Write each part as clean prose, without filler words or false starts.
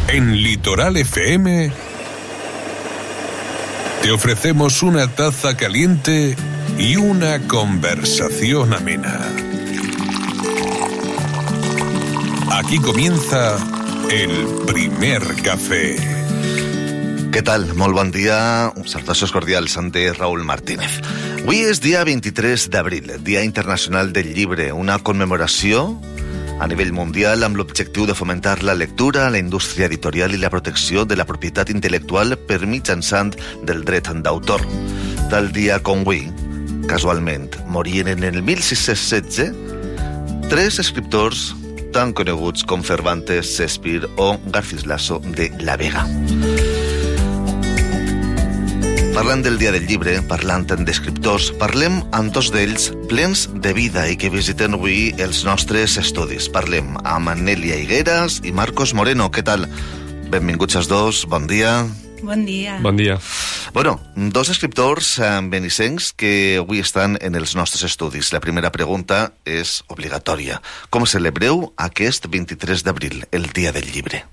En Litoral FM te ofrecemos una taza caliente y una conversación amena. Aquí comienza el primer café. Què tal? Molt bon dia. Salutacions cordials de Raúl Martínez. Avui és dia 23 d'abril, Dia Internacional del Llibre, una commemoració a nivell mundial amb l'objectiu de fomentar la lectura, la indústria editorial i la protecció de la propietat intel·lectual per mitjançant del dret d'autor. Tal dia com avui, casualment, morien en el 1616 tres escriptors tan coneguts com Cervantes, Shakespeare o Garcilaso de la Vega. Parlant del Dia del Llibre, parlant d'escriptors, parlem amb dos d'ells plens de vida i que visiten avui els nostres estudis. Parlem amb Nèlia Higueras i Marcos Moreno. Què tal? Benvinguts els dos, bon dia. Bon dia. Bon dia. Bueno, dos escriptors benissencs que avui estan en els nostres estudis. La primera pregunta és obligatòria. Com celebreu aquest 23 d'abril, el Dia del Llibre?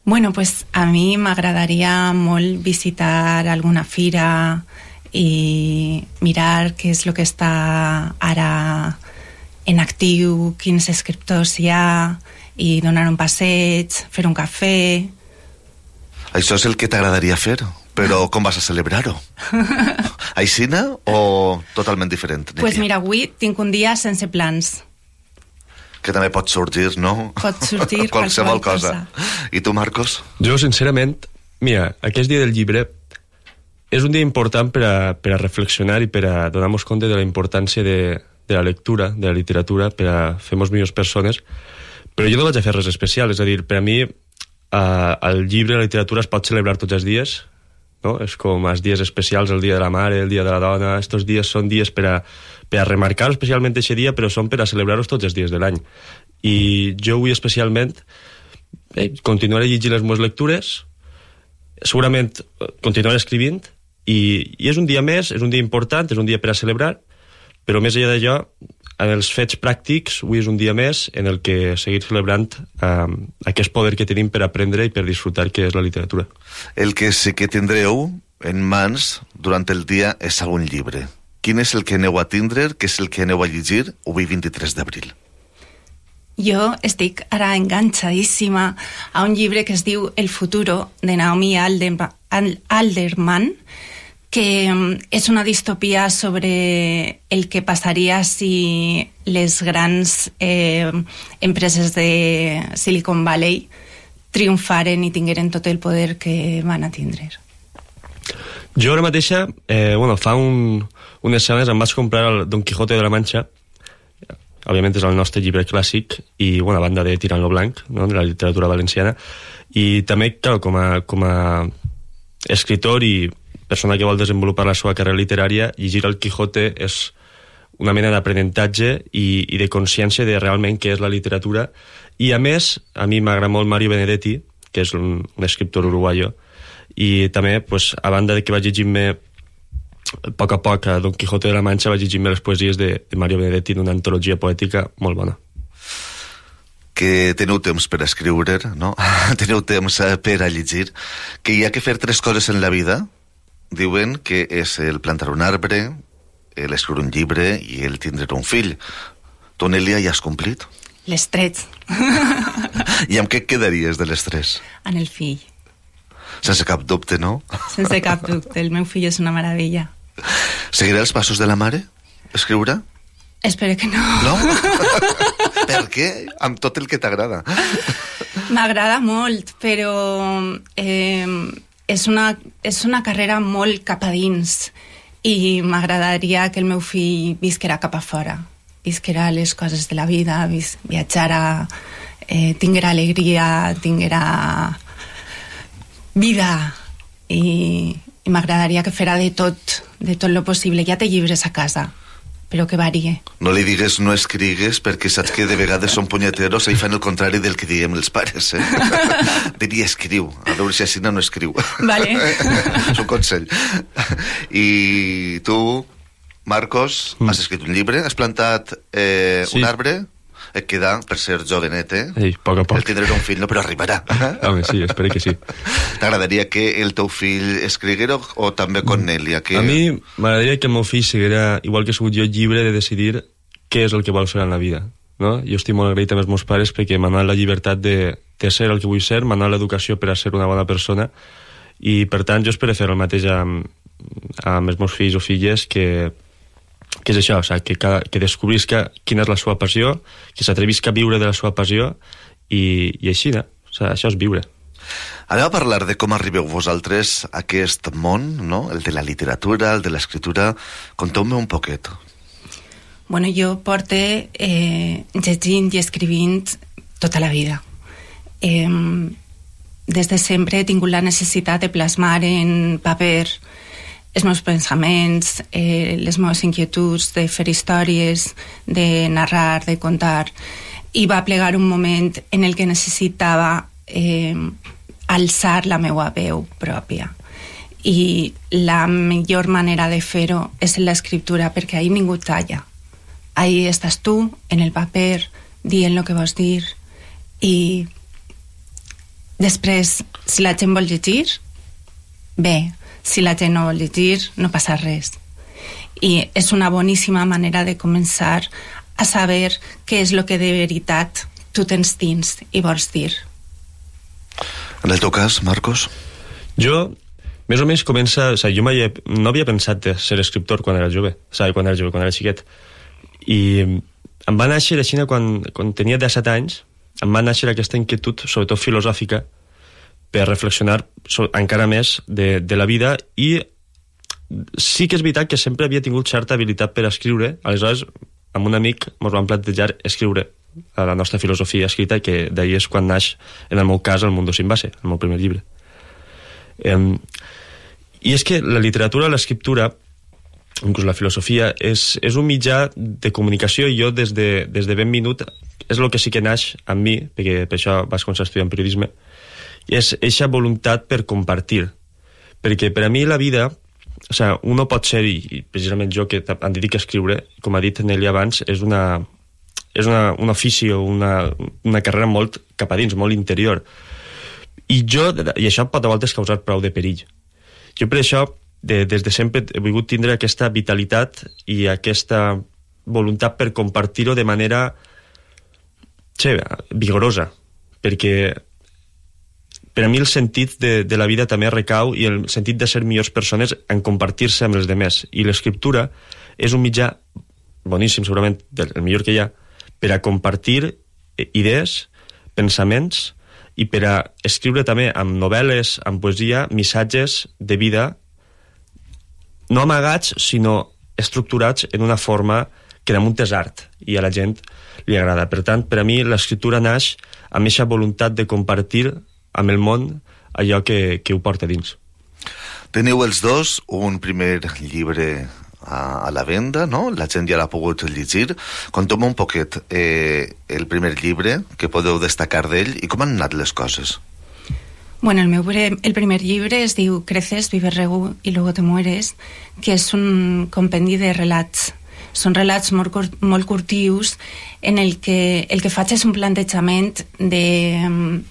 Bueno, pues a mi m'agradaria molt visitar alguna fira i mirar què és el que està ara en actiu, quins escriptors hi ha, i donar un passeig, fer un cafè. Això és el que t'agradaria fer, però com vas a celebrar-ho? Aixina o totalment diferent? Pues mira, avui tinc un dia sense plans. Que també pot sorgir, no? Pot sortir qualsevol cosa. I tu, Marcos? Jo, sincerament, mira, aquest Dia del Llibre és un dia important per a reflexionar i per a donar-nos compte de la importància de la lectura, de la literatura, per a fer-nos millors persones, però jo no vaig a fer res especial, és a dir, per a mi el llibre, la literatura es pot celebrar tots els dies, no? És com els dies especials, el dia de la mare, el dia de la dona. Estos dies són dies per a remarcar especialment aquest dia, però són per a celebrar-los tots els dies de l'any. I jo avui especialment continuaré llegint les meves lectures, segurament continuaré escrivint, i és un dia més, és un dia important, és un dia per a celebrar, però més enllà d'allò, en els fets pràctics, avui és un dia més en el que seguir celebrant aquest poder que tenim per aprendre i per disfrutar que és la literatura. El que sí que tindreu en mans durant el dia és algun llibre. Quin és el que aneu a tindre, què és el que aneu a llegir avui 23 d'abril? Jo estic ara enganxadíssima a un llibre que es diu El futuro, de Naomi Alderman, que és una distopia sobre el que passaria si les grans empreses de Silicon Valley triomfaren i tingueren tot el poder que van a tindre. Jo ara mateixa, fa unes setmanes em vaig comprar el Don Quijote de la Mancha. Òbviament és el nostre llibre clàssic i a banda de Tirant lo Blanc, no?, de la literatura valenciana, i també, clar, com a escritor i persona que vol desenvolupar la seva carrera literària, llegir el Quijote és una mena d'aprenentatge i de consciència de realment què és la literatura. I a més, a mi m'agrada molt Mario Benedetti, que és un escriptor uruguayo, i també, a banda de que vaig llegir-me a poc a Don Quijote de la Mancha, vaig llegir-me les poesies de Mario Benedetti en una antologia poètica molt bona. Que teniu temps per escriure, no? Teniu temps per a llegir, que hi ha que fer tres coses en la vida. Diuen que és el plantar un arbre, l'escriure un llibre i el tindre un fill. Tu, Nèlia, ja has complit? Les tres. I amb què et quedaries de les tres? En el fill. Sense cap dubte, no? Sense cap dubte, el meu fill és una meravella. Seguirà els passos de la mare? Escriure? Espero que no. No? Per què? Amb tot el que t'agrada. M'agrada molt, però és una carrera molt cap a dins i m'agradaria que el meu fill visquera cap a fora, visquera les coses de la vida, viatjara, tinguera alegria, tinguera vida i m'agradaria que fera de tot lo possible. Ja té llibres a casa, però que varie. No li digues no escrigues, perquè saps que de vegades són punyeteros i fan el contrari del que diem els pares, eh? Diria escriu, a veure si així no escriu. Vale. És un consell. I tu, Marcos, has escrit un llibre, has plantat un arbre. et queda, per ser jovenet, Ei, poc a poc. el tindré un fill, no, però arribarà. Home, sí, espero que sí. T'agradaria que el teu fill escriguera o també Cornelia? A mi m'agradaria que el meu fill siguera, igual que he sigut jo, llibre de decidir què és el que vol fer en la vida. No? Jo estic molt agraït amb els meus pares perquè m'han donat la llibertat de ser el que vull ser, m'han donat l'educació per a ser una bona persona, i per tant jo espero fer el mateix amb els meus fills o filles, que és això, o sigui, que descobrisca quina és la seva passió, que s'atrevisca a viure de la seva passió, i així, no? O sigui, això és viure. Anem a parlar de com arribeu vosaltres a aquest món, no? El de la literatura, el de l'escriptura. Conteu-me un poquet. Bueno, jo porte llegint i escrivint tota la vida. Des de sempre he tingut la necessitat de plasmar en paper els meus pensaments, les meves inquietuds, de fer històries, de narrar, de contar. I va plegar un moment en el que necessitava alçar la meva veu pròpia. I la millor manera de fer-ho és en l'escriptura, perquè ahí ningú talla. Ahí estàs tu, en el paper, dient el que vols dir, i després, si la gent vol llegir, bé, si la gent no vol llegir, no passa res. I és una boníssima manera de començar a saber què és el que de veritat tu tens dins i vols dir. En el teu cas, Marcos? Jo, més o menys comença... O sigui, jo no havia pensat de ser escriptor quan era jove, o sigui, quan era xiquet. I em va néixer així quan tenia 17 anys, em va néixer aquesta inquietud, sobretot filosòfica, per reflexionar encara més de la vida, i sí que és veritat que sempre havia tingut certa habilitat per escriure. Aleshores, amb un amic ens vam plantejar escriure a la nostra filosofia escrita, que d'ahir és quan naix, en el meu cas, El mundo sin base, el meu primer llibre. I és que la literatura, l'escriptura, inclús la filosofia, és un mitjà de comunicació, i jo des de ben minut és el que sí que naix amb mi, perquè per això vaig començar a estudiar periodisme, i és eixa voluntat per compartir. Perquè per a mi la vida, o sigui, un no pot ser, i precisament jo que em dedico a escriure, com ha dit Nelia abans, és un ofici o una carrera molt cap a dins, molt interior. I això pot a voltes causar prou de perill. Jo per això, des de sempre he volgut tindre aquesta vitalitat i aquesta voluntat per compartir-ho de manera vigorosa, perquè per a mi el sentit de la vida també recau, i el sentit de ser millors persones en compartir-se amb els demés, i l'escriptura és un mitjà boníssim, segurament el millor que hi ha, per a compartir idees, pensaments, i per a escriure també amb novel·les, amb poesia, missatges de vida no amagats, sinó estructurats en una forma que damunt és art, i a la gent li agrada. Per tant, per a mi l'escriptura naix amb aquesta voluntat de compartir amb el món allò que ho porta dins. Teniu els dos un primer llibre a la venda, no? La gent ja l'ha pogut llegir. Conteu-me un poquet el primer llibre, que podeu destacar d'ell, i com han anat les coses. Bueno, el primer llibre es diu Creces, vives, regu y luego te mueres, que és un compendi de relats. Són relats molt curtius en el que faig és un plantejament de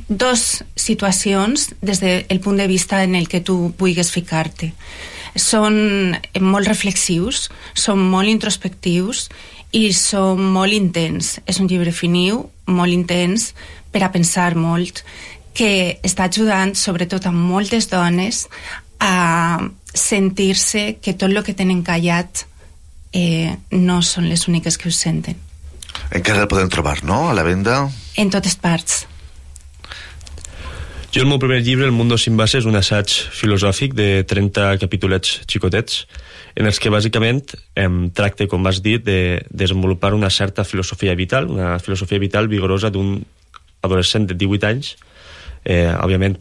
dos situacions des del punt de vista en el que tu vulguis ficar-te. Són molt reflexius, són molt introspectius i són molt intens. És un llibre finiu, molt intens, per a pensar molt, que està ajudant sobretot a moltes dones a sentir-se que tot el que tenen callat no són les úniques que ho senten. Encara el podem trobar, no?, a la venda? En totes parts. Jo el meu primer llibre, El mundo sin base, és un assaig filosòfic de 30 capítolets xicotets, en els que bàsicament tracta, com vas dir, de desenvolupar una certa filosofia vital, una filosofia vital vigorosa d'un adolescent de 18 anys. Òbviament,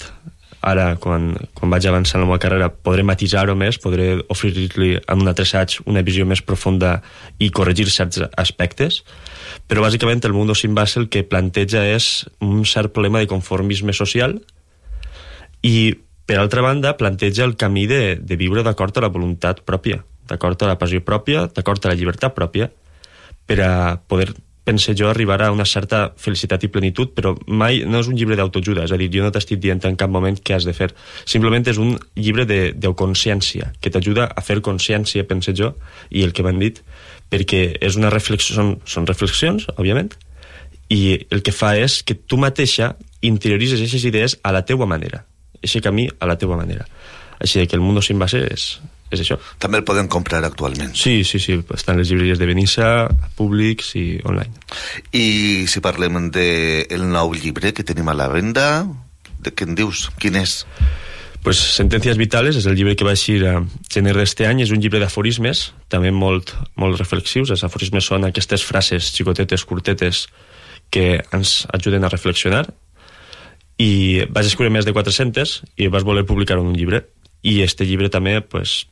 ara, quan vaig avançant en la meva carrera, podré matisar-ho més, podré oferir-li en un altre assaig una visió més profunda i corregir certs aspectes, però bàsicament el mundo sin base el que planteja és un cert problema de conformisme social, i per altra banda planteja el camí de viure d'acord a la voluntat pròpia, d'acord a la passió pròpia, d'acord a la llibertat pròpia, per pense jo, arribarà a una certa felicitat i plenitud, però mai no és un llibre d'autoajuda, és a dir, jo no t'estic dient en cap moment què has de fer, simplement és un llibre d'autoconsciència, que t'ajuda a fer consciència, pense jo, i el que m'han dit, perquè és una reflexió, són reflexions, òbviament, i el que fa és que tu mateixa interioritzes aquestes idees a la teua manera, aquest camí a la teua manera. Així que el Mundo sin base és això. També el podem comprar actualment. Sí, estan les llibreries de Benissa, públics i online. I si parlem del nou llibre que tenim a la venda, de què en dius? Quin és? Pues Sentencias Vitales és el llibre que va eixir a gener d'este any, és un llibre d'aforismes, també molt reflexius. Els aforismes són aquestes frases xicotetes, curtetes, que ens ajuden a reflexionar, i vaig escriure més de 400 i vas voler publicar un llibre, i este llibre també pues,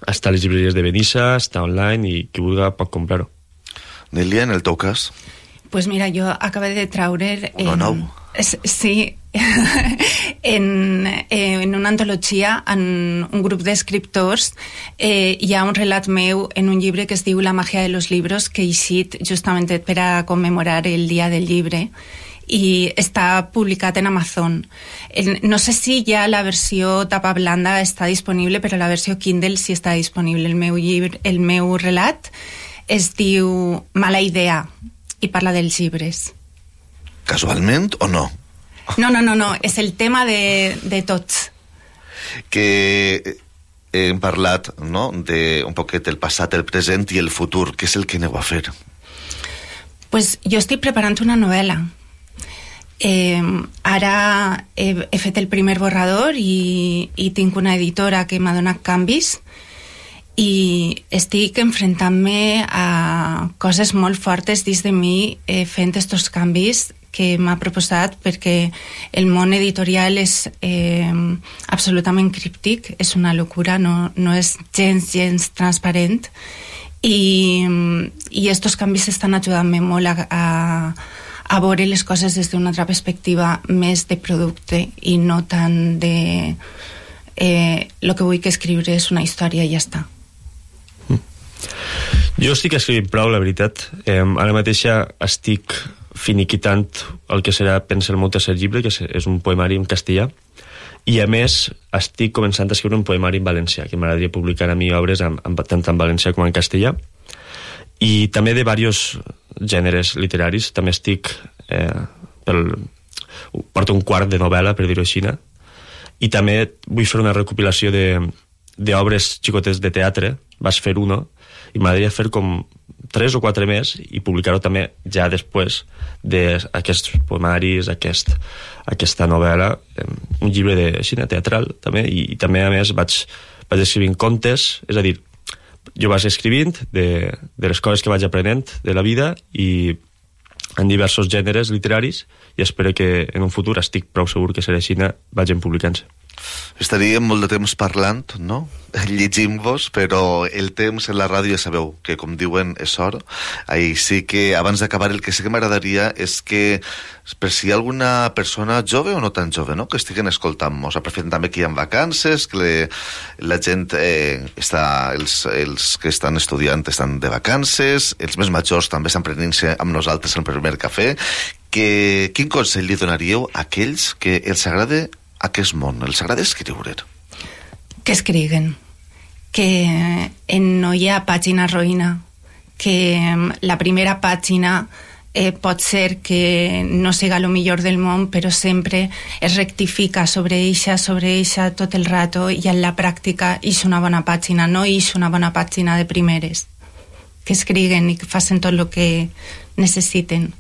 està a les llibreries de Benissa, està online, i qui vulgui pot comprar-ho. Nélia, en el teu cas? Pues mira, jo acabé de traure... Uno nou. Sí, en una antologia, en un grup d'escriptors, hi ha un relat meu en un llibre que es diu La magia de los libros, que he eixit justament per a commemorar el dia del llibre, i està publicat en Amazon. No sé si ja la versió tapa blanda està disponible, però la versió Kindle sí està disponible. El meu llibre, el meu relat es diu Mala idea i parla dels llibres. Casualment o no? No, és el tema de tots. Que hem parlat, no?, de un poquet el passat, el present i el futur. Què és el que aneu a fer? Pues jo estic preparant una novel·la. Ara he fet el primer borrador i tinc una editora que m'ha donat canvis, i estic enfrontant-me a coses molt fortes dins de mi fent estos canvis que m'ha proposat, perquè el món editorial és absolutament críptic, és una locura, no és gens transparent, i estos canvis estan ajudant-me molt a veure les coses des d'una altra perspectiva, més de producte i no tant de el que vull que escriure és una història i ja està. Jo estic escrivint prou, la veritat. Ara mateixa estic finiquitant el que serà, pensa, el meu tercer llibre, que és un poemari en castellà, i a més estic començant a escriure un poemari en valencià, que m'agradaria publicar a mi obres tant en valencià com en castellà, i també de diversos gèneres literaris. També estic porto un quart de novel·la, per dir-ho així, i també vull fer una recopilació d'obres xicotes de teatre. Vas fer uno i m'agradaria fer com 3 o 4 més i publicar-ho també ja després d'aquests poemaris, aquesta novel·la, un llibre teatral també, i també a més vaig escrivint contes, és a dir, jo vaig escrivint de les coses que vaig aprenent de la vida i en diversos gèneres literaris, i espero que en un futur, estic prou segur que serà així, vagin publicant-se. Estaríem molt de temps parlant, no?, llegint-vos, però el temps en la ràdio ja sabeu que, com diuen, és or. Així que, abans d'acabar, el que sí que m'agradaria és que, per si hi ha alguna persona jove o no tan jove, no?, que estiguen escoltant-nos, aprofitant també que hi ha vacances, que la gent els que estan estudiant estan de vacances, els més majors també estan prenent-se amb nosaltres el primer cafè, quin consell li donaríeu a aquells que els agrada aquest món, els agrada escriure? Que escriguen, que no hi ha pàgina roïna, que la primera pàgina pot ser que no siga el millor del món, però sempre es rectifica sobre eixa tot el rato, i en la pràctica és una bona pàgina, no és una bona pàgina de primeres. Que escriguen i que facin tot el que necessiten.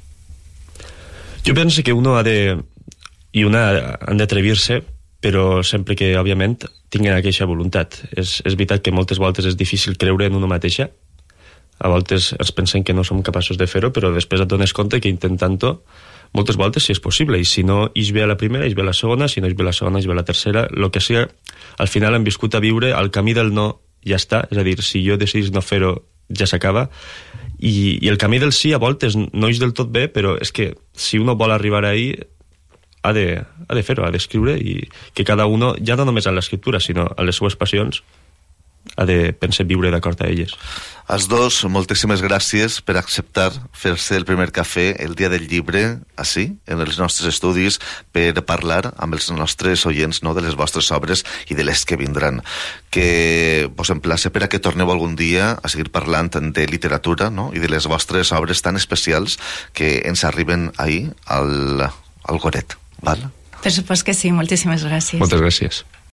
Jo penso que uno han d'atrevir-se, però sempre que, òbviament, tinguin aquesta voluntat. És veritat que moltes voltes és difícil creure en una mateixa. A voltes ens pensem que no som capaços de fer-ho, però després et dones compte que intentant-ho, moltes voltes sí és possible, i si no ix bé a la primera, ix bé a la segona, si no ix bé a la segona, ix bé a la tercera, el que sigui, al final hem viscut a viure, el camí del no ja està, és a dir, si jo decidís no fer-ho, ja s'acaba, i el camí del sí a voltes no ix del tot bé, però és que si uno vol arribar ahí, ha de fer-ho, ha d'escriure, i que cada uno, ja no només en l'escriptura, sinó en les seues passions, pensem, viure d'acord a elles. Els dos, moltíssimes gràcies per acceptar fer-se el primer cafè el dia del llibre, així, en els nostres estudis, per parlar amb els nostres oients, no, de les vostres obres i de les que vindran. Que vos emplace per a que torneu algun dia a seguir parlant de literatura, no, i de les vostres obres tan especials que ens arriben ahir al Goret, val? Per supost que sí, moltíssimes gràcies. Moltes gràcies.